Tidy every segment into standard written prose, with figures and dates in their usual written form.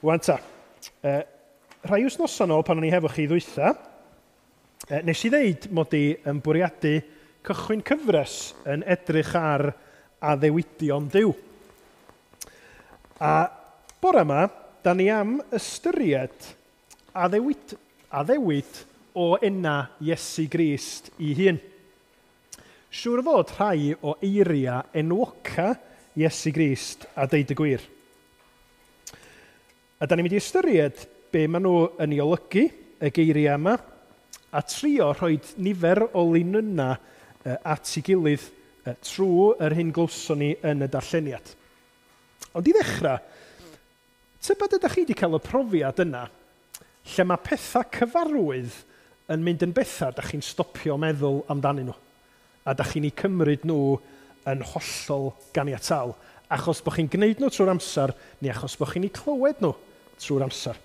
Wan ta, rhai wythnosau nôl pan o'n i hefo chi ddwytha, nes i ddeud mod i yn bwriadu cychwyn cyfres yn edrych ar addewidion Duw. A bore yma, da ni am ystyried addewid o enna Iesu Grist i hun. Siŵr o fod rhai o eiriau enwoca Iesu Grist a deud y gwir. A da ni'n mynd i ystyried be maen nhw yn ei olygu, y geiriau yma, a trio rhoi nifer o linynnau at ei gilydd trwy yr hyn glywson ni yn y darlleniad. Ond i ddechrau, tybed ydych chi wedi cael y profiad yna lle mae pethau cyfarwydd yn mynd yn bethau da chi'n stopio meddwl amdanyn nhw, a da chi'n eu cymryd nhw yn hollol ganiataol, achos bod chi'n gwneud nhw trwy'r amser, neu achos bod chi'n eu clywed nhw trwy'r amser.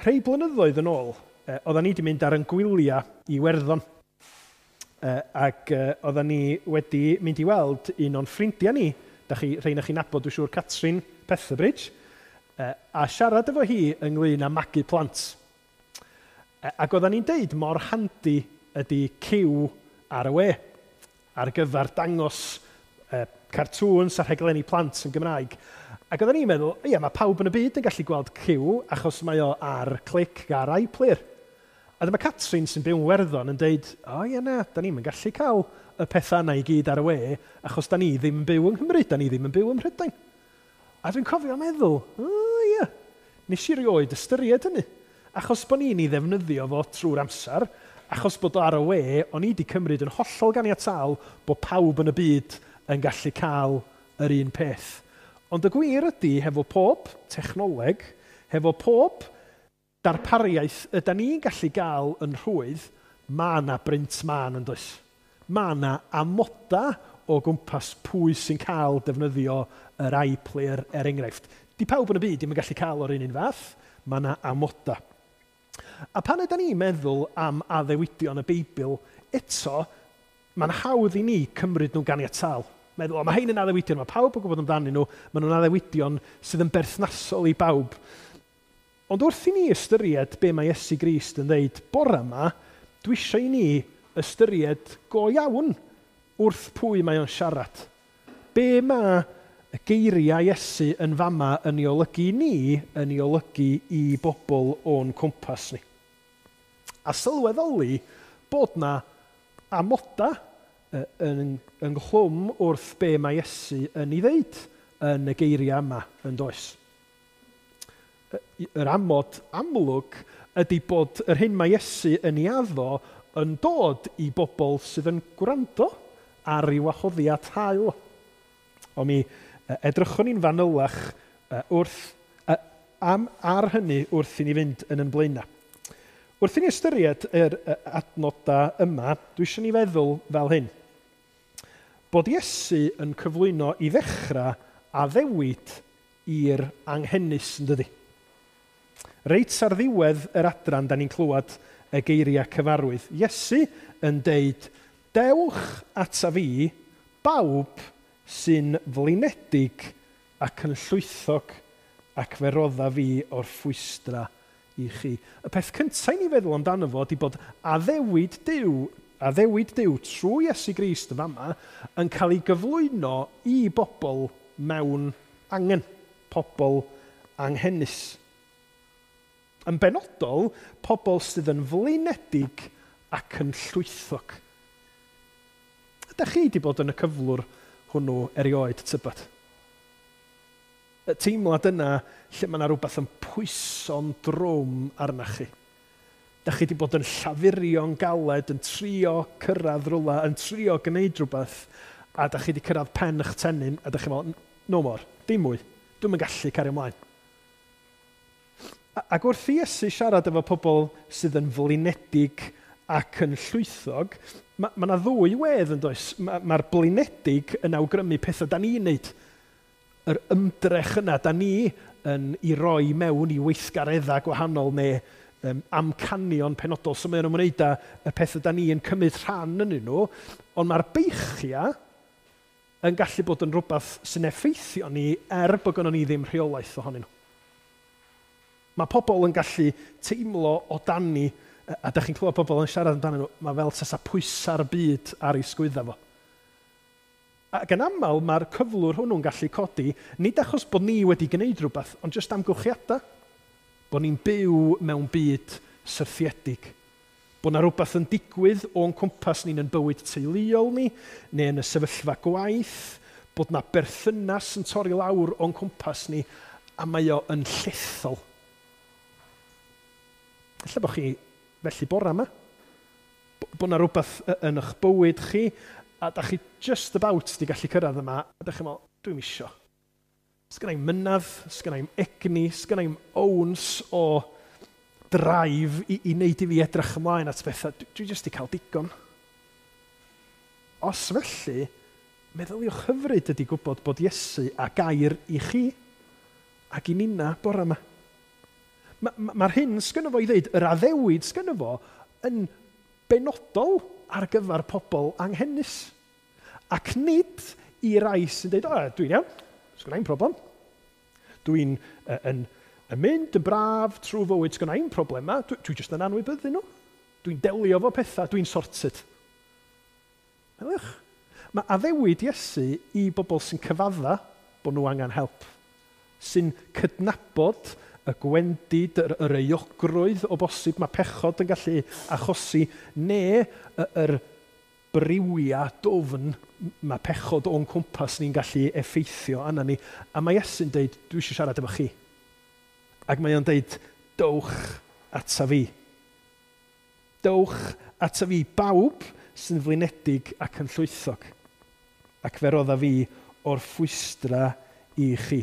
Rhai blynyddoedd yn ôl, oedden ni wedi mynd ar ein gwyliau i Iwerddon, ac oedden ni wedi mynd i weld un o'n ffrindiau ni, da chi, rhai na chi'n nabod, dwi'n siŵr, Catrin Petherbridge, a siarad efo hi ynglyn â magu plant. Ac oedden ni'n deud mor handi ydy Cyw ar y we, ar gyfer dangos cartŵns a rhaglenni plant yn Gymraeg. Ac oedden ni'n meddwl, ia, mae pawb yn y byd yn gallu gweld Cyw achos mae o ar Clic ar iPlayer. A dyma Catrin sy'n byw yn Werddon yn deud, o ia na, da ni'n gallu cael y pethau yna i gyd ar y we achos da ni ddim yn byw yng Nghymru, da ni ddim yn byw ym Mhrydain. A dwi'n cofio meddwl, o ia, nes i rioed ystyried hynny. Achos bod ni'n ei ddefnyddio fo trwy'r amser, achos bod o ar y we, o'n i wedi cymryd yn hollol ganiataol bod pawb yn y byd yn gallu cael yr un peth. Ond y gwir ydy, hefo pob technoleg, hefo pob darpariaeth yda ni'n gallu gael yn rhwydd, mae yna brint mân yn does. Mae yna amoda o gwmpas pwy sy'n cael defnyddio yr iPlayer er enghraifft. Di pawb yn y byd ddim yn gallu cael o'r un fath, mae yna amoda. A pan yda ni'n meddwl am addewidion y Beibl, eto, mae'n hawdd i ni cymryd nhw'n ganiataol. Meddwl, o, mae hein yn addewidion, mae pawb yn gwybod amdanyn nhw, maen nhw'n addewidion sydd yn berthnasol i bawb. Ond wrth i ni ystyried be mae Iesu Grist yn dweud bore yma, dwi eisiau i ni ystyried go iawn wrth pwy mae o'n siarad. Be mae y geiriau Iesu yn fama yn ei olygu i ni, yn ei olygu i bobl o'n cwmpas ni. A sylweddoli bod na amoda ynghlwm wrth be mae Iesu yn ei ddeud yn y geiriau yma yn does. Yr amod amlwg ydy bod yr hyn mae Iesu yn ei addo yn dod i bobl sydd yn gwrando ar ei wahoddiad hael. Ond mi edrychwn ni'n fanylach ar hynny wrth i ni fynd yn blaenau. Wrth i ni ystyried yr adnodau yma, dwi eisiau ni feddwl fel hyn. Bod Iesu yn cyflwyno i ddechrau addewid i'r anghenus, yn dydi? Reit ar ddiwedd yr adran, da ni'n clywed y geiriau cyfarwydd. Iesu yn deud, dewch ata fi, bawb sy'n flinedig ac yn llwythog, ac fe rodda fi o'r ffwystra i chi. Y peth cyntaf i ni feddwl amdano fo ydy bod addewid Duw trwy Iesu Grist yn fama yn cael ei gyflwyno i bobl mewn angen, pobl anghenus. Yn benodol, pobl sydd yn flinedig ac yn llwythog. Ydych chi wedi bod yn y cyflwr hwnnw erioed, tybed? Y teimlad yna lle mae yna rhywbeth yn pwyso'n drwm arnach chi. Dach chi wedi bod yn llafurio'n galed, yn trio cyrraedd rhywle, yn trio gwneud rhywbeth, a dach chi wedi cyrraedd pen eich tennyn, a dach chi'n meddwl, no more, dim mwy, dwi'm yn gallu cario ymlaen. Ac wrth i Iesu siarad efo pobl sydd yn flinedig ac yn llwythog, mae yna ddwy wedd yn does. Mae'r blinedig yn awgrymu pethau da ni'n neud. Yr ymdrech yna da ni yn i roi mewn i weithgareddau gwahanol neu amcanion penodol. So mae'n ymwneud â y pethau da ni yn cymryd rhan yn nhw, ond mae'r beichiau yn gallu bod yn rhywbeth sy'n effeithio ni er bod gynnon ni ddim rheolaeth ohonyn nhw. Mae pobl yn gallu teimlo o dani, a da chi'n clywed pobl yn siarad amdanyn nhw, mae fel tasa pwysa'r byd ar ei sgwydda fo. Ac yn aml mae'r cyflwr hwnnw'n gallu codi, nid achos bod ni wedi gwneud rhywbeth, ond jyst amgylchiadau. Bod ni'n byw mewn byd syrthiedig. Bod yna rhywbeth yn digwydd o'n cwmpas ni'n yn bywyd teuluol ni, neu yn y sefyllfa gwaith, bod yna berthynas yn torri lawr o'n cwmpas ni, a mae o yn llethol. Ella bod chi felly bora yma. Bod yna rhywbeth yn eich bywyd chi, a da chi just about di gallu cyrraedd yma, a da chi'n meddwl, dwi'm isio. Sgynna i'm mynadd, sgynna i'm egni, sgynna i'm owns o drive i wneud i fi edrych ymlaen at bethau. Dwi jyst di cael digon. Os felly, meddyliwch hyfryd ydy gwybod bod Iesu a gair i chi ac i ninna bore yma. Mae'r hyn sgynno fo i ddeud, yr addewid sgynno fo, yn benodol ar gyfer pobl anghenus. Ac nid i rai sy'n dweud, o, dwi'n iawn, sgynna i'm problem. Dwi'n yn mynd yn braf trwy fywyd, sgynna i'm problema, dwi jyst yn anwybyddu nhw. Dwi'n delio fo pethau, dwi'n sorted. Meddyliwch, mae addewid Iesu i bobl sy'n cyfadda bod nhw angen help, sy'n cydnabod y gwendid, yr euogrwydd o bosib mae pechod yn gallu achosi, neu yr briwia dwfn mae pechod o'n cwmpas ni'n gallu effeithio arna ni. A mae Iesu'n deud, dwi eisiau siarad efo chi. Ac mae o'n deud, dowch ata fi. Dowch ata fi bawb sy'n flinedig ac yn llwythog. Ac fe rodda fi o'r ffwystra i chi.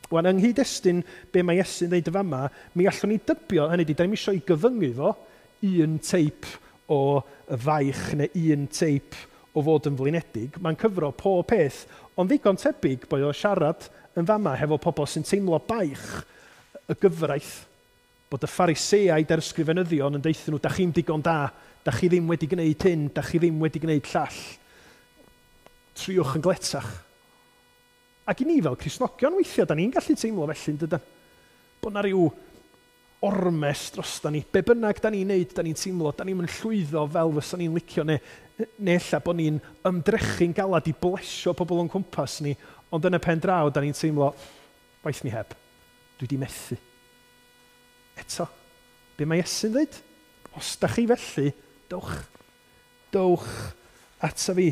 Wan, yng nghyd-destun be mae Iesu'n dweud y fama, mi allwn ni dybio, hynny ydi, da ni'm isio i gyfyngu fo un teip o faich neu un teip o fod yn flinedig. Mae'n cyfro pob peth, ond ddigon tebyg bod o'n siarad yn fama hefo pobl sy'n teimlo baich y gyfraith, bod y Phariseaid a'r ysgrifenyddion yn deuthyn nhw, da chi'm digon da, da chi ddim wedi gwneud hyn, da chi ddim wedi gwneud llall. Triwch yn gletach. Ac i ni fel Cristnogion weithiau, da ni'n gallu teimlo felly, yn dydan? Bod na ryw ormes drosta ni. Be bynnag da ni'n neud, da ni'n teimlo, da ni'n llwyddo fel fysa ni'n licio, neu ella bod ni'n ymdrechu'n galad i blesio pobl o'n cwmpas ni, ond yn y pen draw, da ni'n teimlo, waeth mi heb, dwi di methu. Eto, be mae Iesu'n dweud? Os da chi felly, dowch. Dowch ata fi.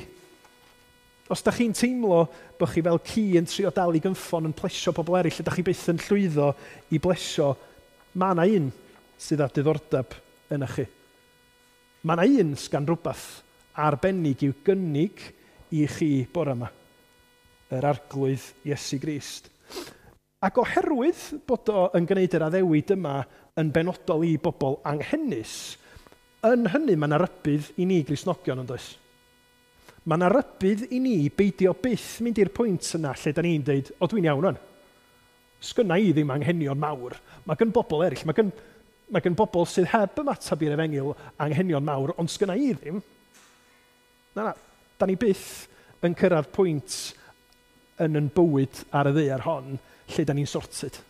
Os da chi'n teimlo bod chi fel ci yn trio dal i gynffon yn plesio pobl eraill, ydych chi byth yn llwyddo i blesio, mae yna un sydd â diddordeb yna chi. Mae yna un sgan rhywbeth arbennig i'w gynnig i chi bore yma, yr Arglwydd Iesu Grist. Ac oherwydd bod o yn gwneud yr addewid yma yn benodol i bobl anghenus, yn hynny mae yna rybudd i ni Gristnogion yn does? Mae yna rybudd i ni beidio byth mynd i'r pwynt yna lle da ni'n deud, o dwi'n iawn o'n. Sgynna i ddim anghenion mawr. Mae gen bobl eraill, mae gen bobl sydd heb ymateb i'r efengyl anghenion mawr, ond sgynna i ddim. Na, da ni byth yn cyrraedd pwynt yn yn bywyd ar y ddaear hon lle da ni'n sorted.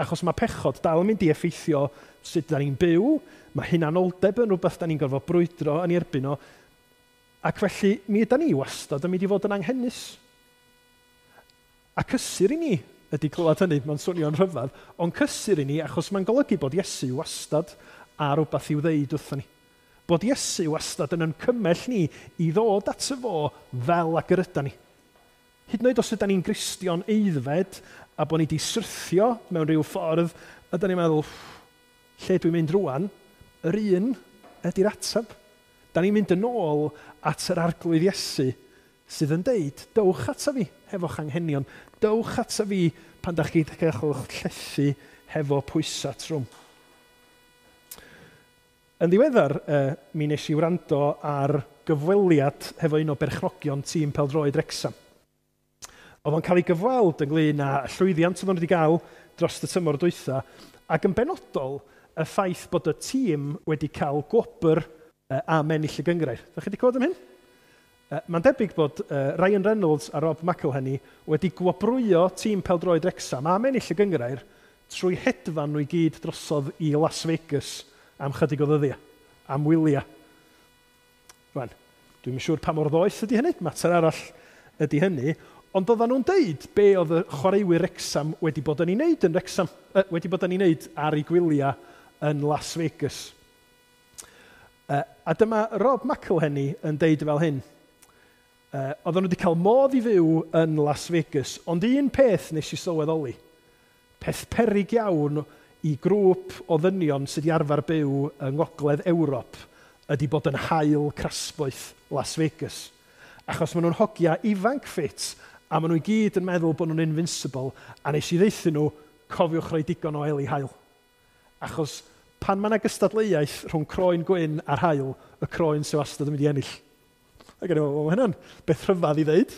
Achos mae pechod dal yn mynd i effeithio sut da ni'n byw, mae hunanoldeb yn rhywbeth da ni'n gorfod brwydro yn ei erbyn o, ac felly mi yda ni wastad yn mynd i fod yn anghenus. A cysur i ni ydy clywed hynny, mae'n swnio'n rhyfedd, ond cysur i ni achos mae'n golygu bod Iesu wastad ar rhywbeth i'w ddeud wrthon ni. Bod Iesu wastad yn yn cymell ni i ddod ato fo fel ag yr yda ni. Hyd yn oed os yda ni'n Gristion aeddfed a bod ni wedi syrthio mewn rhyw ffordd, a da ni'n meddwl, lle dwi'n mynd rwan, yr un ydy'r ateb. Da ni'n mynd yn ôl at yr Arglwydd Iesu sydd yn deud, dowch ata fi hefo'ch anghenion, dowch ata fi pan da chi'n cael eich llethu hefo pwysau trwm. Yn ddiweddar, mi nes i wrando ar gyfweliad hefo un o berchnogion tîm pêl-droed Wrecsam. Oedd o'n cael ei gyfweld ynglyn â llwyddiant oedd o'n wedi gael dros y tymor dwytha, ac yn benodol y ffaith bod y tîm wedi cael gwobr am ennill y gynghrair. Ydych chi wedi clywed am hyn? Mae'n debyg bod Ryan Reynolds a Rob McElhenney wedi gwobrwyo tîm pêl-droed Wrecsam am ennill y gynghrair trwy hedfan nhw i gyd drosodd i Las Vegas am chydig o ddyddiau, am wyliau. Rwan, dwi'm yn siŵr pa mor ddoeth ydy hynny, mater arall ydy hynny, ond oedden nhw'n deud be oedd y chwaraewyr Wrecsam wedi bod yn ei wneud yn Wrecsam, wedi bod yn ei wneud ar ei gwyliau yn Las Vegas. A dyma Rob McElhenney yn deud fel hyn. Oedden nhw wedi cael modd i fyw yn Las Vegas, ond un peth nes i sylweddoli, peth peryg iawn i grŵp o ddynion sydd wedi arfer byw yng Ngogledd Ewrop ydy bod yn haul crasboeth Las Vegas. Achos maen nhw'n hogia ifanc ffit, a maen nhw i gyd yn meddwl bod nhw'n invincible, a nes i ddeuthu nhw, cofiwch roi digon o eli haul. Achos pan mae yna gystadleuaeth rhwng croen gwyn a'r haul, y croen sy'n wastad yn mynd i ennill. Ac o'n i'n meddwl, mae hynna'n beth rhyfedd i ddeud.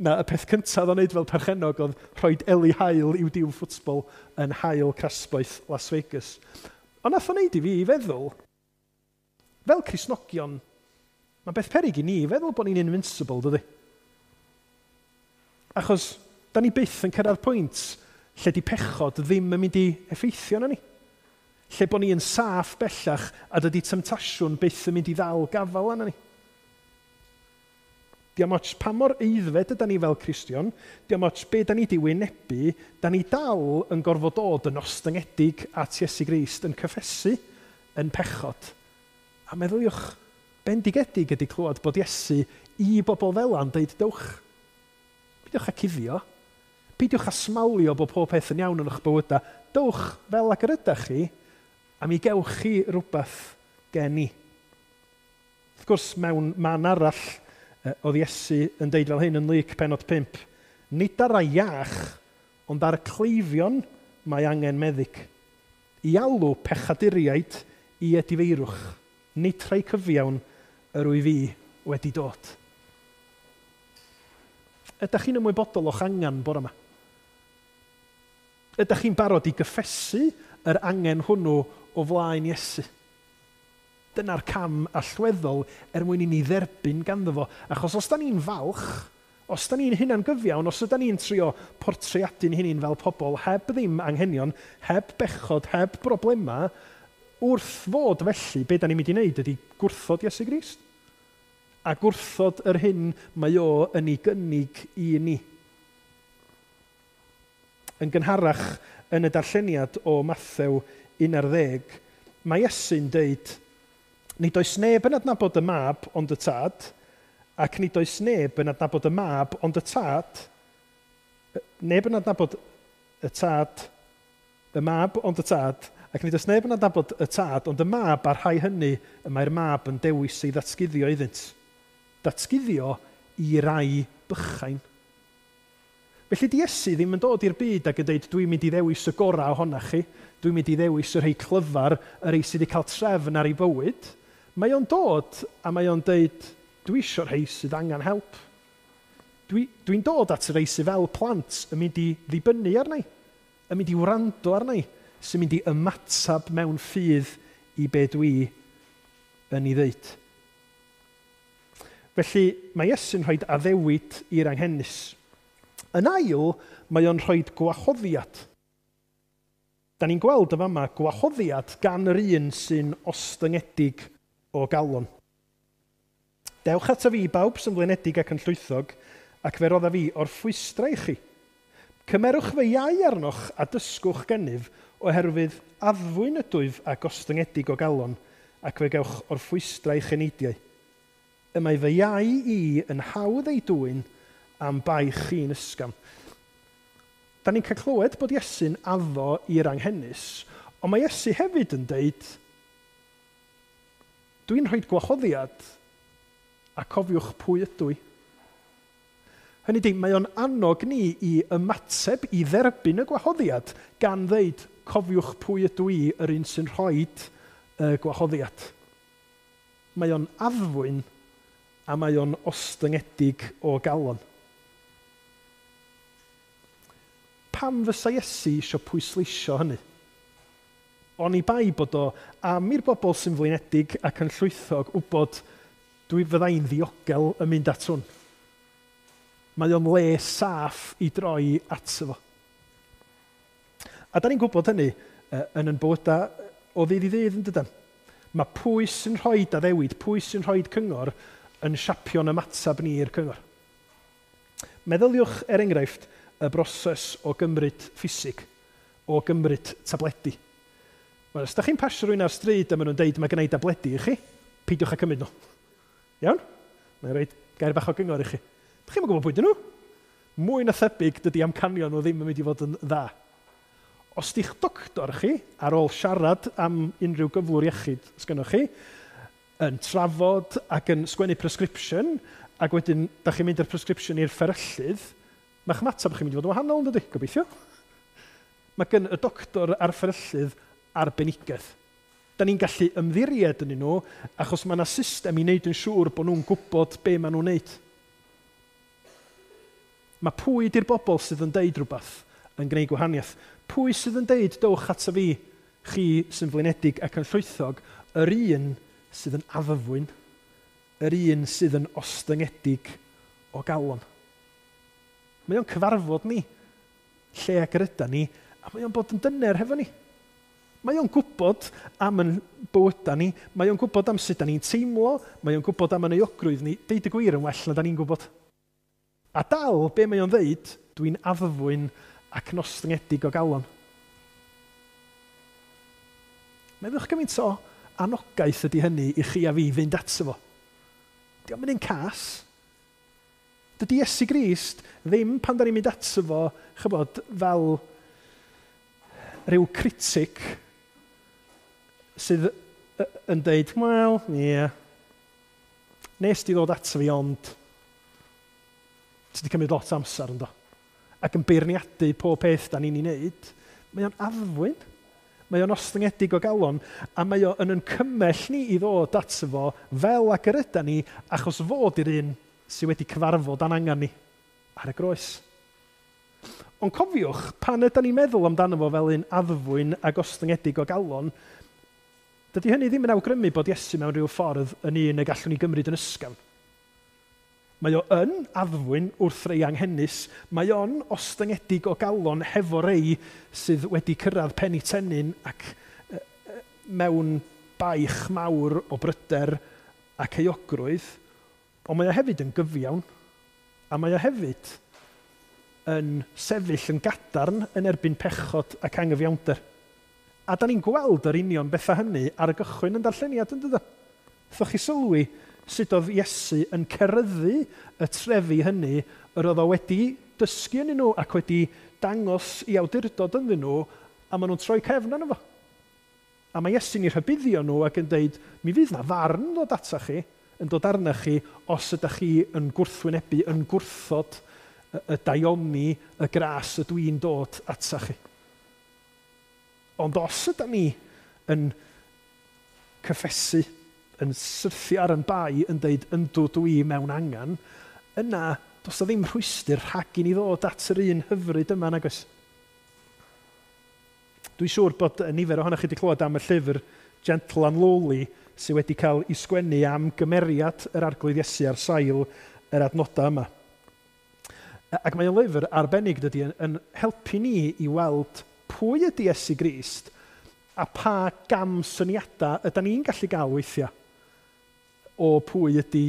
Na, y peth cyntaf o'n wneud fel perchennog oedd rhoi eli haul i'w dîm ffwtbol yn haul crasboeth Las Vegas. Ond nath o'n wneud i fi i feddwl, fel Cristnogion, mae'n beth peryg i ni feddwl bod ni'n invincible, dydy? Achos, da ni byth yn cyrraedd pwynt lle di pechod ddim yn mynd i effeithio arnon ni. Lle bod ni yn saff bellach a dydy temtasiwn byth yn mynd i ddal gafael arnon ni. Diolch ots pa mor aeddfed yda ni fel Cristion, diolch ots be da ni di wynebu, da ni dal yn gorfod dod yn ostyngedig at Iesu Grist, yn cyffesu yn pechod. A meddyliwch, bendigedig ydy clywed bod Iesu i bobl fel 'na'n deud, dewch, peidiwch â cuddio, peidiwch â smalio bod pob peth yn iawn yn eich bywydau, dewch fel ag yr ydych chi, a mi gewch chi rhywbeth gen i. Wrth gwrs, mewn man arall, oedd Iesu yn deud fel hyn yn Luc pennod 5, nid ar rai iach, ond ar y cleifion mae angen meddyg. I alw pechaduriaid i edifeirwch, nid rhai cyfiawn yr wyf fi wedi dod. Ydych chi'n ymwybodol o'ch angen bore yma? Ydych chi'n barod i gyffesu yr angen hwnnw o flaen Iesu? Dyna'r cam allweddol er mwyn i ni dderbyn ganddo fo. Achos os da ni'n falch, os da ni'n hunangyfiawn, os yda ni'n trio portreadu'n hunain fel pobl heb ddim anghenion, heb bechod, heb broblemau, wrth fod felly, be da ni'n mynd i wneud ydy gwrthod Iesu Grist. A gwrthod yr hyn mae o yn ei gynnig i ni. Yn gynharach yn y darlleniad o Mathew 11, mae Iesu'n deud, nid oes neb yn adnabod y mab ond y tad, ac nid oes neb yn adnabod y mab ond y tad, neb yn adnabod y tad, y mab ond y tad, ac nid oes neb yn adnabod y tad ond y mab a'r rhai hynny y mae'r mab yn dewis ei ddatguddio iddynt. Datguddio i rai bychain. Felly di Iesu ddim yn dod i'r byd ac yn dweud dwi'n mynd i ddewis y gorau ohonach chi, dwi'n mynd i ddewis y rhai clyfar, y rhai sydd wedi cael trefn ar ei bywyd. Mae o'n dod a mae o'n dweud dwi eisiau rhai sydd angen help. Dwi'n dod at y rhai sydd fel plant yn mynd i ddibynnu arna i, yn mynd i wrando arna i, sy'n mynd i ymatab mewn ffydd i be dwi yn ei ddeud. Felly mae Iesu'n rhoi addewid i'r anghenus. Yn ail, mae o'n rhoi gwahoddiad. Da ni'n gweld y fama gwahoddiad gan yr un sy'n ostyngedig o galon. Dewch ata fi bawb sy'n flinedig ac yn llwythog, ac fe rodda fi orffwystra i chi. Cymerwch fy iau arnoch a dysgwch gennyf, oherwydd addfwyn ydwyf a gostyngedig o galon, ac fe gewch orffwystra i'ch eneidiau. Y mae fy iau i yn hawdd ei dwyn am baich chi'n ysgafn. Da ni'n cael clywed bod Iesu'n addo i'r anghenus, ond mae Iesu hefyd yn deud, dwi'n rhoi gwahoddiad a cofiwch pwy ydw i. Hynny ydi, mae o'n annog ni i ymateb i dderbyn y gwahoddiad gan ddeud, cofiwch pwy ydw i, yr un sy'n rhoi y gwahoddiad. Mae o'n addfwyn a mae o'n ostyngedig o galon. Pam fysa Iesu eisiau pwysleisio hynny? Oni bai bod o am i'r bobl sy'n flinedig ac yn llwythog wybod dwi fyddai'n ddiogel yn mynd at hwn. Mae o'n le saff i droi ato fo. A da ni'n gwybod hynny yn yn bywydau o ddydd i ddydd, yn dydan? Mae pwy sy'n rhoi addewid, pwy sy'n rhoi cyngor yn siapio'n ymateb ni i'r cyngor. Meddyliwch, er enghraifft, y broses o gymryd ffisig, o gymryd tabledi. Wel, os da chi'n pasio rhywun ar stryd a maen nhw'n deud mae gen i dabledi i chi, peidiwch â cymryd nhw. Iawn? Mae'n rhoi gair bach o gyngor i chi. Dych chi'n gwybod pwy dyn nhw? Mwy na thebyg dydy amcanion nhw ddim yn mynd i fod yn dda. Os di'ch doctor chi, ar ôl siarad am unrhyw gyflwr iechyd sgynnoch chi, yn trafod ac yn sgwennu prescription, ac wedyn da chi'n mynd â'r prescription i'r fferyllydd, mae'ch ymateb chi'n mynd i fod yn wahanol, yn dydy? Gobeithio. Mae gen y doctor a'r fferyllydd arbenigedd. Da ni'n gallu ymddiried yn nhw, achos mae yna system i wneud yn siŵr bod nhw'n gwybod be maen nhw'n wneud. Mae pwy di'r bobl sydd yn deud rhywbeth yn gwneud gwahaniaeth? Pwy sydd yn deud, dowch ato fi, chi sy'n flinedig ac yn llwythog, yr un sydd yn addfwyn, yr un sydd yn ostyngedig o galon. Mae o'n cyfarfod ni, lle ag yr yda ni, a mae o'n bod yn dyner hefo ni. Mae o'n gwybod am yn bywydau ni, mae o'n gwybod am sut da ni'n teimlo, mae o'n gwybod am yn euogrwydd ni, deud y gwir yn well na da ni'n gwybod. A dal, be mae o'n ddeud, dwi'n addfwyn ac yn ostyngedig o galon. Meddwch gymaint o anogaeth ydy hynny i chi a fi fynd ato fo. Dio'm yn un cas. Dydy Iesu Grist ddim pan da ni'n mynd ato fo, chybod, fel rhyw critic sydd yn deud, wel, ie, yeah, nes di ddod ato fi ond ti wedi cymryd lot o amser ynddo. Ac yn beirniadu pob peth da ni'n ei wneud, mae o'n addfwyn. Mae o'n ostyngedig o galon, a mae o'n yn cymell ni i ddod ato fo fel ag yr yda ni, achos fod i'r un sydd wedi cyfarfod a'n angen ni ar y groes. Ond cofiwch, pan yda ni'n meddwl amdano fo fel un addfwyn ac ostyngedig o galon, dydy hynny ddim yn awgrymu bod Iesu mewn rhyw ffordd yn un y gallwn ni gymryd yn ysgafn. Mae o yn addfwyn wrth rei anghenus, mae o'n ostyngedig o galon hefo rei sydd wedi cyrraedd pen eu tennyn ac mewn baich mawr o bryder ac euogrwydd, ond mae o hefyd yn gyfiawn, a mae o hefyd yn sefyll yn gadarn yn erbyn pechod ac anghyfiawnder. A da ni'n gweld yr union bethau hynny ar y gychwyn yn darlleniad, yn dydan? Wnaethoch chi sylwi sut oedd Iesu yn ceryddu y trefi hynny yr oedd o wedi dysgu yn nhw ac wedi dangos i awdurdod ynddyn nhw, a maen nhw'n troi cefn arno fo. A mae Iesu'n eu rhybuddio nhw ac yn deud, mi fydd na farn ddod ata chi, yn dod arna chi, os ydych chi yn gwrthwynebu, yn gwrthod y daioni, y gras ydw i'n dod ata chi. Ond os ydym ni yn cyffesu, yn syrthio ar yn bai, yn deud yndw dwi mewn angen, yna does na ddim rhwystr rhag i ni ddod at yr un hyfryd yma, nag oes? Dwi'n siŵr bod nifer ohonoch chi wedi clywed am y llyfr Gentle and Lowly sydd wedi cael ei sgwennu am gymeriad yr Arglwydd Iesu ar sail yr adnodau yma. Ac mae o'n lyfr arbennig, dydy, yn helpu ni i weld pwy ydy Iesu Grist a pa gam syniadau ydy ni'n gallu gael weithiau o pwy ydy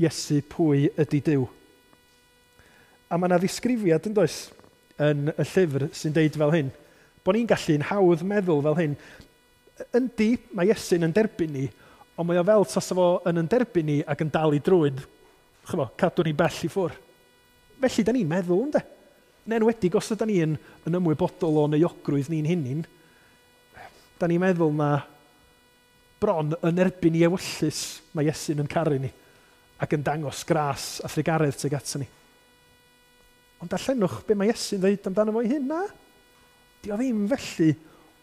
Iesu, pwy ydy Duw. A mae yna ddisgrifiad, yn does, yn y llyfr sy'n deud fel hyn, bod ni'n gallu'n hawdd meddwl fel hyn. Yndi, mae Iesu'n yn derbyn ni, ond mae o fel tasa fo yn derbyn ni ac yn dal i drwyn, chymo, cadw ni bell i ffwrdd. Felly, da ni'n meddwl, ynde? Yn enwedig os yda ni yn ymwybodol o'n euogrwydd ni'n hunain, da ni'n meddwl na bron yn erbyn i ewyllys mae Iesu'n yn caru ni ac yn dangos gras a thrugaredd tuag ato ni. Ond darllenwch be mae Iesu'n dweud amdano fo'i hun, na? Di o ddim felly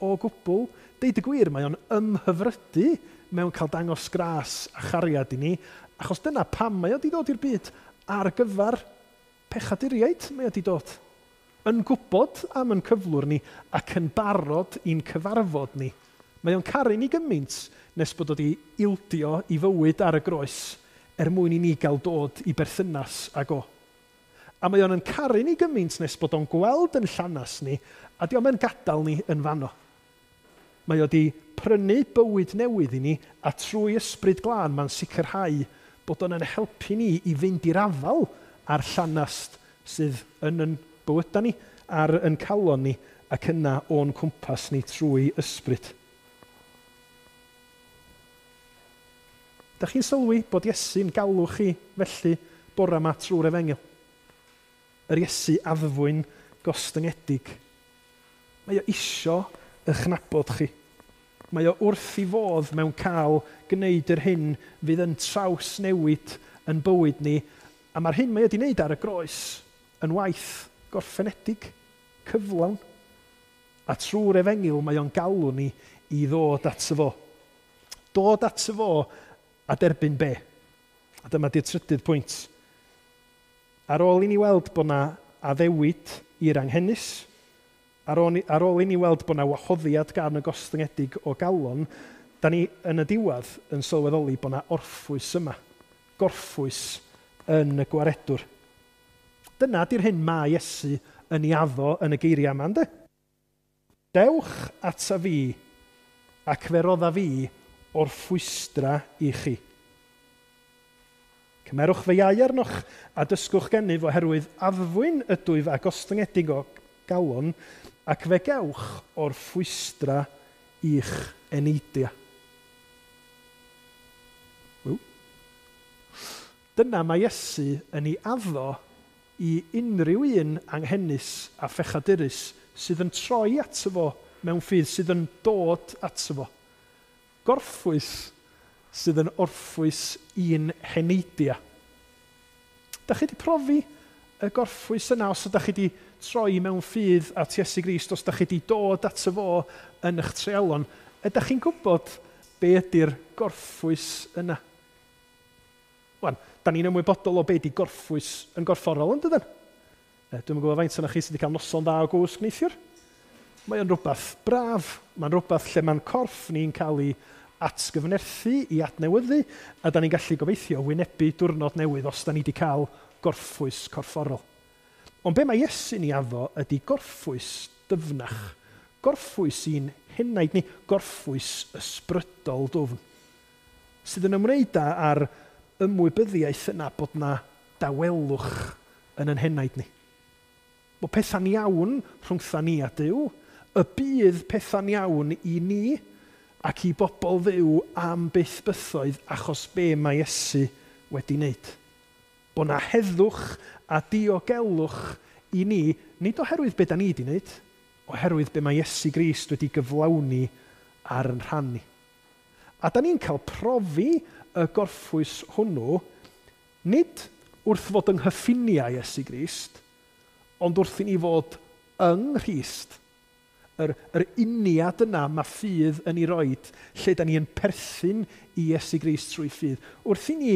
o gwbl. Deud y gwir, mae o'n ymhyfrydu mewn cael dangos gras a chariad i ni, achos dyna pam mae o wedi dod i'r byd ar gyfer pechaduriaid mae o wedi dod. Yn gwybod am yn cyflwr ni ac yn barod i'n cyfarfod ni. Mae o'n caru ni gymaint nes bod o wedi ildio i fywyd ar y groes er mwyn i ni gael dod i berthynas ag o. A mae o'n yn caru ni gymaint nes bod o'n gweld yn llanas ni, a di o'm yn gadael ni yn fanno. Mae o di prynu bywyd newydd i ni, a trwy Ysbryd Glân mae'n sicrhau bod o'n yn helpu ni i fynd i'r afael a'r llanast sydd yn yn bywydau ni, ar yn calon ni, ac yna o'n cwmpas ni trwy ysbryd. Da chi'n sylwi bod Iesu'n galw chi felly bore yma trwy'r efengyl? Yr Iesu addfwyn gostyngedig. Mae o isio eich nabod chi. Mae o wrth i fodd mewn cael gwneud yr hyn fydd yn trawsnewid yn bywyd ni, a mae'r hyn mae o wedi wneud ar y groes yn waith gorffenedig, cyflawn. A trwy'r efengyl mae o'n galw ni i ddod ato fo. Dod ato fo a derbyn be? A dyma di'r trydydd pwynt. Ar ôl i ni weld bod na addewid i'r anghenus, ar ôl i ni weld bod na wahoddiad gan y gostyngedig o galon, da ni yn y diwedd yn sylweddoli bod na orffwys yma. Gorffwys yn y gwaredwr. Dyna di'r hyn mae Iesu yn ei addo yn y geiriau yma, ynddo? Dewch ata fi, ac fe rodda fi orffwystra i chi. Cymerwch fy iau arnoch a dysgwch gennyf oherwydd addfwyn ydwyf a gostyngedig o galon, ac fe gewch orffwystra i'ch eneidiau. Dyna mae Iesu yn ei addo i unrhyw un anghenus a phechadurus sydd yn troi ato fo mewn ffydd, sydd yn dod ato fo. Gorffwys sydd yn orffwys i'n heneidiau. Da chi wedi profi y gorffwys yna os ydych chi wedi troi mewn ffydd at Iesu Grist, os ydych chi wedi dod ato fo yn eich treialon, ydych chi'n gwybod be ydy'r gorffwys yna? Wan, da ni'n ymwybodol o be ydy gorffwys yn gorfforol, yn dydyn? Dwi'm yn gwybod faint ohonoch chi sydd wedi cael noson dda o gwsg neithiwr. Mae o'n rhywbeth braf. Mae'n rhywbeth lle mae'n corff ni'n cael ei atgyfnerthu, i adnewyddu, a da ni'n gallu gobeithio wynebu diwrnod newydd os da ni wedi cael gorffwys corfforol. Ond be mae Iesu'n ei addo ydy gorffwys dyfnach, gorffwys i'n henaid ni, gorffwys ysbrydol dwfn, sydd yn ymwneud â'r ymwybyddiaeth yna bod na dawelwch yn yn henaid ni. Bod pethau'n iawn rhwngtha ni a Duw, y bydd pethau'n iawn i ni ac i bobl fyw am byth bythoedd achos be mae Iesu wedi wneud. Bod na heddwch a diogelwch i ni, nid oherwydd be da ni wedi wneud, oherwydd be mae Iesu Grist wedi gyflawni ar yn rhan ni. A da ni'n cael profi y gorffwys hwnnw, nid wrth fod yng nghyffiniau Iesu Grist, ond wrth i ni fod yng Nghrist. Yr uniad yna mae ffydd yn ei roed, lle da ni yn perthyn i Iesu Grist trwy ffydd. Wrth i ni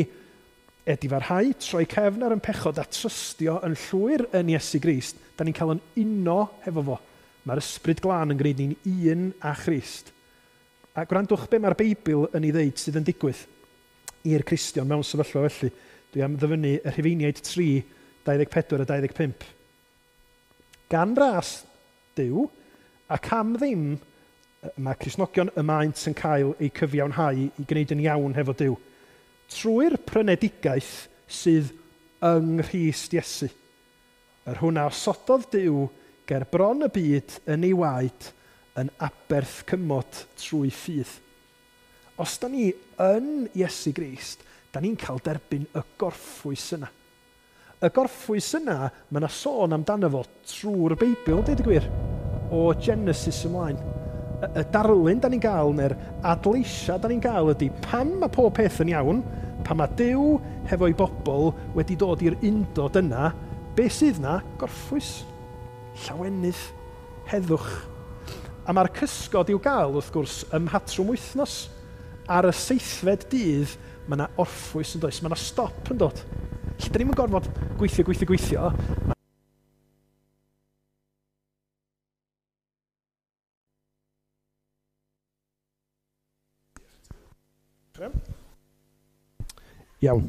edifarhau, troi cefn ar yn pechod a trystio yn llwyr yn Iesu Grist, da ni'n cael yn uno hefo fo. Mae'r Ysbryd Glân yn gwneud ni'n un â Christ. A gwrandwch be mae'r Beibl yn ei ddeud sydd yn digwydd i'r Cristion mewn sefyllfa felly. Dwi am ddyfynnu y Rhufeiniaid 3, 24 a 25. Gan ras Duw, ac am ddim, mae Cristnogion y maent yn cael eu cyfiawnhau i gwneud yn iawn hefo Duw. Trwy'r prynedigaeth sydd yng Nghrist Iesu. Yr hwn a osododd Duw ger bron y byd yn ei waed yn aberth cymod trwy ffydd. Os da ni yn Iesu Grist, da ni'n cael derbyn y gorffwys yna. Y gorffwys yna, mae yna sôn amdano fo trwy'r Beibl, deud y gwir, o Genesis ymlaen. Y darlun da ni'n gael, neu'r adleisia da ni'n gael ydy pan mae pob peth yn iawn, pan mae Duw hefo'i bobl wedi dod i'r undod yna, be sydd na? Gorffwys, llawenydd, heddwch. A mae'r cysgod i'w gael, wrth gwrs, ym mhatrwm wythnos. Ar y seithfed dydd, mae yna orffwys yn does, mae yna stop yn dod. Lle da ni'm yn gorfod gweithio, gweithio, gweithio. Iawn.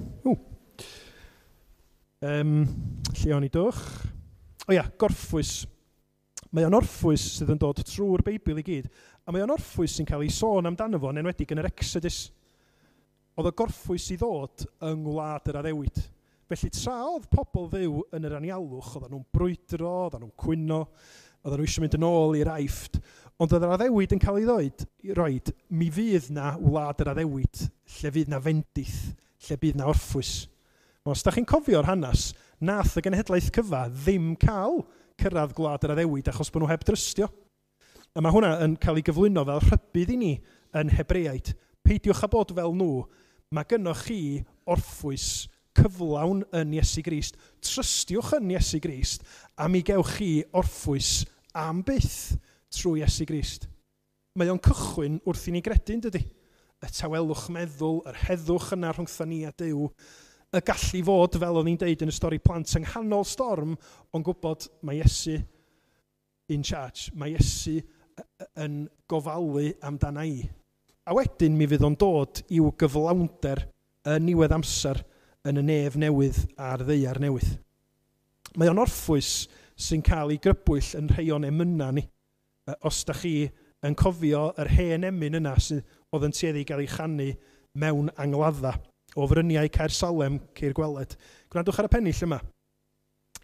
Lle o'n i dwch? O ia, gorffwys. Mae o'n orffwys sydd yn dod trwy'r Beibl i gyd, a mae o'n orffwys sy'n cael ei sôn amdano fo, yn enwedig yn yr Exodus. Oedd y gorffwys i ddod yng ngwlad yr addewid. Felly tra oedd pobl Dduw yn yr anialwch, oedden nhw'n brwydro, oedden nhw'n cwyno, oedden nhw eisiau mynd yn ôl i'r Aifft, ond oedd yr addewid yn cael ei ddweud, roed, mi fydd na wlad yr addewid, lle fydd na fendith, lle bydd na orffwys. Os da chi'n cofio'r hanes, nath y genhedlaeth cyfa ddim cael cyrraedd gwlad yr addewid achos bod nhw heb drystio. A mae hwnna yn cael ei gyflwyno fel rhybudd i ni yn Hebreaid. Peidiwch â bod fel nhw, mae gynnoch chi orffwys cyflawn yn Iesu Grist. Trystiwch yn Iesu Grist a mi gewch chi orffwys am byth trwy Iesu Grist. Mae o'n cychwyn wrth i ni gredu, yn dydy? Y tawelwch meddwl, yr heddwch yna rhwngtho ni a Duw, y gallu fod, fel o'n i'n deud yn y stori plant, yng nghanol storm, ond gwybod mae Iesu in charge. Mae Iesu yn gofalu amdana i. A wedyn mi fydd o'n dod i'w gyflawnder yn niwedd amser yn y nef newydd a'r ddaear newydd. Mae o'n orffwys sy'n cael ei grybwyll yn rhai o'n emynau ni. Os da chi yn cofio yr hen emyn yna sydd oedd yn tueddu i gael ei chanu mewn angladda o fryniau Caer Salem ceir gweled. Gwrandwch ar y pennill yma.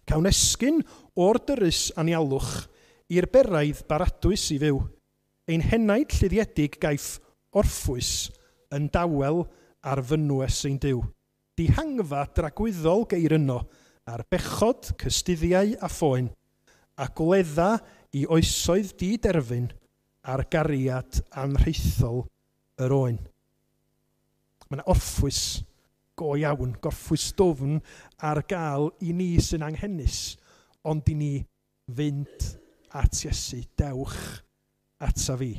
Cawn esgyn o'r dyrys anialwch i'r beraidd baradwys i fyw. Ein henaid lluddiedig gaiff orffwys yn dawel ar fynwes ein Duw. Dihangfa dragwyddol geir yno ar bechod, cystuddiau a phoen, a gwledda i oesoedd diderfyn ar gariad anrhaethol yr oen. Mae yna orffwys go iawn, gorffwys dwfn ar gael i ni sy'n anghenus, ond i ni fynd at Iesu, dewch ata fi.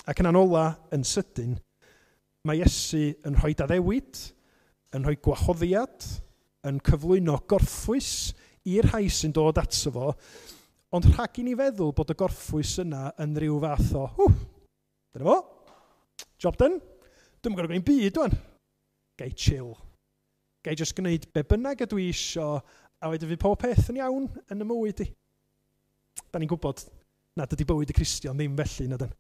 Ac yn ola, yn sydyn, mae Iesu yn rhoi addewid, yn rhoi gwahoddiad, yn cyflwyno gorffwys i'r rhai sy'n dod ato fo, ond rhag i ni feddwl bod y gorffwys yna yn rhyw fath o, hw, dyna fo, job done, dwi'm yn gorfod gwneud byd wan. Gai chill. Gai jyst gwneud be bynnag ydw i isio, a wedyn fydd pob peth yn iawn yn y mywyd i. Da ni'n gwybod nad ydy bywyd y Cristion ddim felly, na dyn.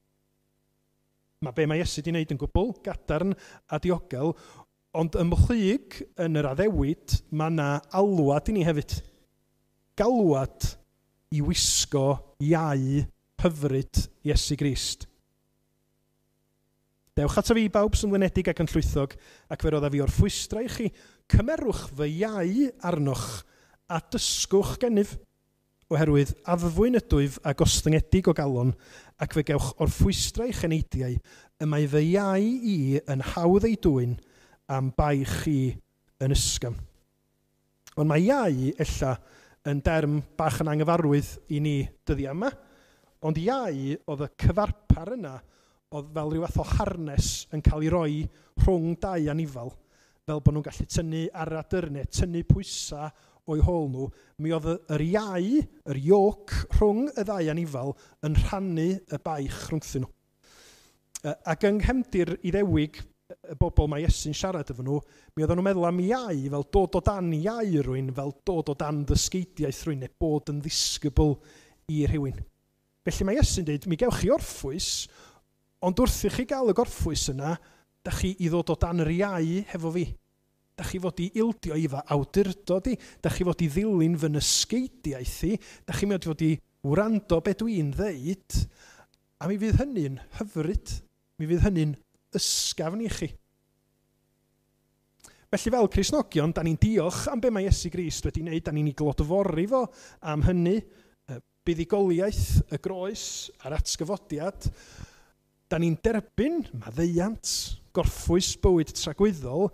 Mae be mae Iesu wedi wneud yn gwbl gadarn a diogel, ond ymhlyg yn yr addewid, mae yna alwad i ni hefyd. Galwad i wisgo iau hyfryd Iesu Grist. Dewch ato fi bawb sy'n flinedig ac yn llwythog, ac fe roddaf fi orffwystra i chi. Cymerwch fy iau arnoch a dysgwch gennyf, oherwydd addfwyn ydwyf a gostyngedig o galon, ac fe gewch orffwystra i'ch eneidiau, y mae fy iau i yn hawdd ei dwyn am baich chi yn ysgafn. Ond mae iau ella yn derm bach yn anghyfarwydd i ni dyddiau yma, ond iau oedd y cyfarpar yna oedd fel rhyw fath o harnes yn cael ei roi rhwng dau anifal, fel bod nhw'n gallu tynnu ar adyrnau, tynnu pwysau o'i hôl nhw. Mi oedd yr iau, yr yoke rhwng y ddau anifal yn rhannu y baich rhwngthyn nhw. Ac yng nghefndir Iddewig, y bobl mae Iesu'n siarad efo nhw, mi oedden nhw'n meddwl am iau fel dod o dan iau rhywun, fel dod o dan ddysgeidiaeth rhywun, neu bod yn ddisgybl i rhywun. Felly mae Iesu'n dweud, mi gewch chi orffwys, ond wrth i chi gael y gorffwys yna, da chi i ddod o dan yr iau hefo fi. Da chi fod i ildio i fy awdurdod i, da chi fod i ddilyn fy nysgeidiaeth i, da chi fod i wrando be dwi'n ddeud, a mi fydd hynny'n hyfryd, mi fydd hynny'n ysgafn i chi. Felly fel Cristnogion, da ni'n diolch am be mae Iesu Grist wedi wneud, da ni'n ei glodfori fo am hynny, buddugoliaeth, y groes a'r atgyfodiad. Da ni'n derbyn maddeuant, gorffwys bywyd tragwyddol,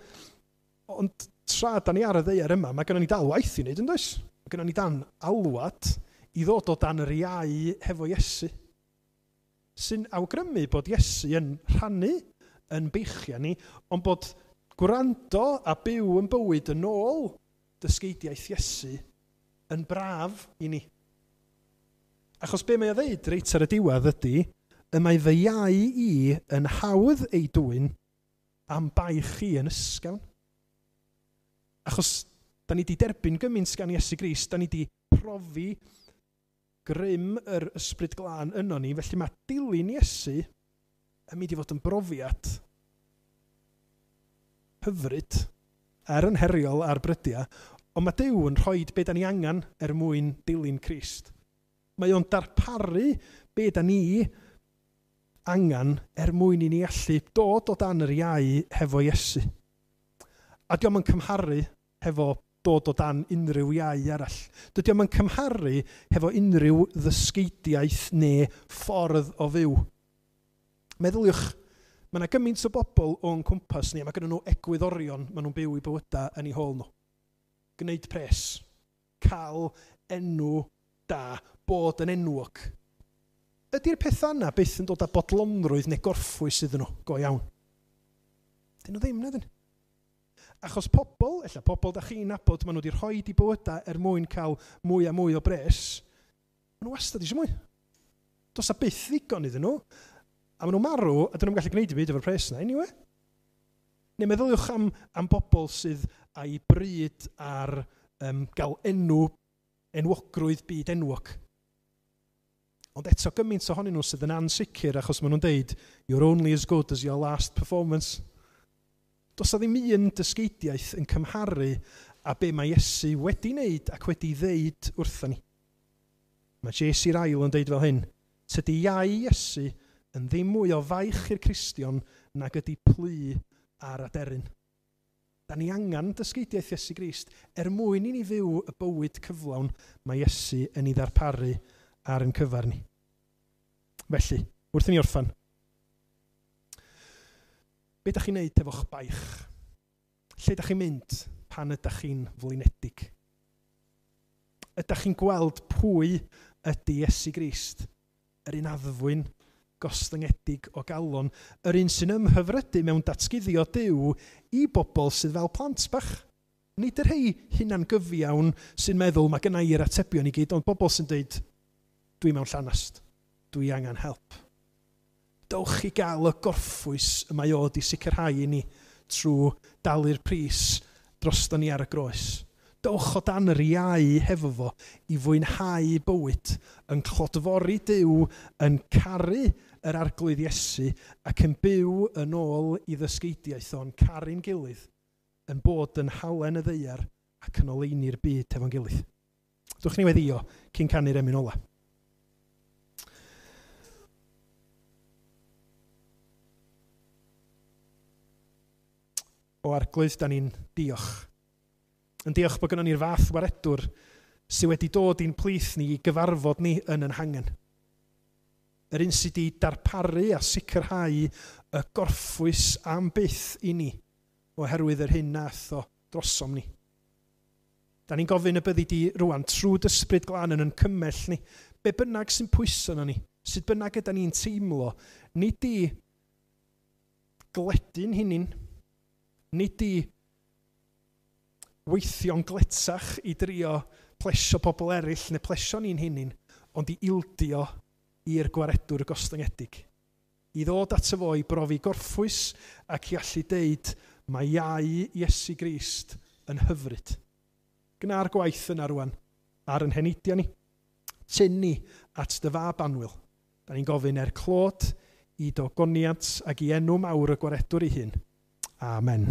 ond tra da ni ar y ddaear yma, mae gennym ni dal waith i wneud, yn does? Mae gennym ni dan alwad i ddod o dan yr iau hefo Iesu, sy'n awgrymu bod Iesu yn rhannu yn beichiau ni, ond bod gwrando a byw yn bywyd yn ôl dysgeidiaeth Iesu yn braf i ni. Achos be mae o ddeud reit ar y diwedd ydy, y mae fy iau i yn hawdd ei dwyn am baich chi yn ysgafn. Achos Da ni wedi derbyn gymaint gan Iesu Grist, da ni wedi profi grym yr Ysbryd Glân yno ni, felly mae dilyn Iesu yn mynd i fod yn brofiad hyfryd, er yn heriol ar brydiau, ond mae Duw yn rhoi be da ni angen er mwyn dilyn Crist. Mae o'n darparu be da ni angen er mwyn i ni allu dod o dan yr iau hefo Iesu. A dio'm yn cymharu hefo dod o dan unrhyw iau arall. Dydy o'm yn cymharu hefo unrhyw ddysgeidiaeth neu ffordd o fyw. Meddyliwch, mae yna gymaint o bobl o'n cwmpas ni, a mae gennyn nhw egwyddorion maen nhw'n byw eu bywydau yn eu hôl nhw. Gwneud pres, cael enw da, bod yn enwog. Ydy'r pethau yna byth yn dod â bodlonrwydd neu gorffwys iddyn nhw, go iawn? Dyn nhw ddim, na dyn? Achos pobl, ella pobl da chi'n nabod, maen nhw wedi rhoi eu bywydau er mwyn cael mwy a mwy o bres, maen nhw wastad eisiau mwy. Does 'na byth ddigon iddyn nhw, a maen nhw'n marw, a dyn nhw'n gallu gwneud dim byd efo'r pres yna, anyway. Neu meddyliwch am bobl sydd â'i bryd ar gael enwogrwydd byd enwog. Ond eto gymaint ohonyn nhw sydd yn ansicr achos maen nhw'n deud, "You're only as good as your last performance." Does 'na ddim un dysgeidiaeth yn cymharu â be mae Iesu wedi wneud ac wedi ddeud wrthon ni. Mae J.C. Ryle yn deud fel hyn, "Tydi iau Iesu yn ddim mwy o faich i'r Cristion nag ydy plu ar aderyn." Da ni angen dysgeidiaeth Iesu Grist er mwyn i ni fyw y bywyd cyflawn mae Iesu yn ei ddarparu ar yn cyfer ni. Felly, wrth i ni orffan, be ydych chi'n neud efo'ch baich? Lle ydych chi'n mynd pan ydych chi'n flinedig? Ydych chi'n gweld pwy ydy Iesu Grist? Yr un addfwyn, gostyngedig o galon, yr un sy'n ymhyfrydu mewn datguddio Duw i bobl sydd fel plant bach. Nid yr rhai hunan gyfiawn sy'n meddwl mae gynna i'r atebion i gyd, ond bobl sy'n dweud, "Dwi mewn llanast, dwi angen help." Dowch i gael y gorffwys y mae o 'di sicrhau i ni trwy dalu'r pris drosto ni ar y groes. Dowch o dan yr iau hefo fo i fwynhau bywyd, yn clodfori Duw, yn caru yr Arglwydd Iesu ac yn byw yn ôl i ddysgeidiaeth o'n caru'n gilydd, yn bod yn halen y ddaear ac yn oleuni'r byd hefo'n gilydd. Dwch ni weddio cyn canu'r emyn ola. O Arglwydd, da ni'n diolch. Yn diolch bod gynnon ni'r fath waredwr sydd wedi dod i'n plith ni i gyfarfod ni yn yn hangen. Yr un sydd wedi darparu a sicrhau y gorffwys am byth i ni oherwydd yr hyn nath o drosom ni. Da ni'n gofyn y byddi di rwan trwy d'Ysbryd Glân yn yn cymell ni. Be bynnag sy'n pwyso na ni, sut bynnag yda ni'n teimlo, nid i gledu'n hunin, nid i weithio'n gletach i drio plesio pobl eraill neu plesio ni'n hunin, ond i ildio i'r gwaredwr gostyngedig. I ddod ato fo i brofi gorffwys ac i allu deud mae iau Iesu Grist yn hyfryd. Gna'r gwaith yna rwan ar yn heneidiau ni. Tyn ni at dy fab annwyl. Da ni'n gofyn er clod i d'ogoniant ac i enw mawr y gwaredwr ei hun. Amen.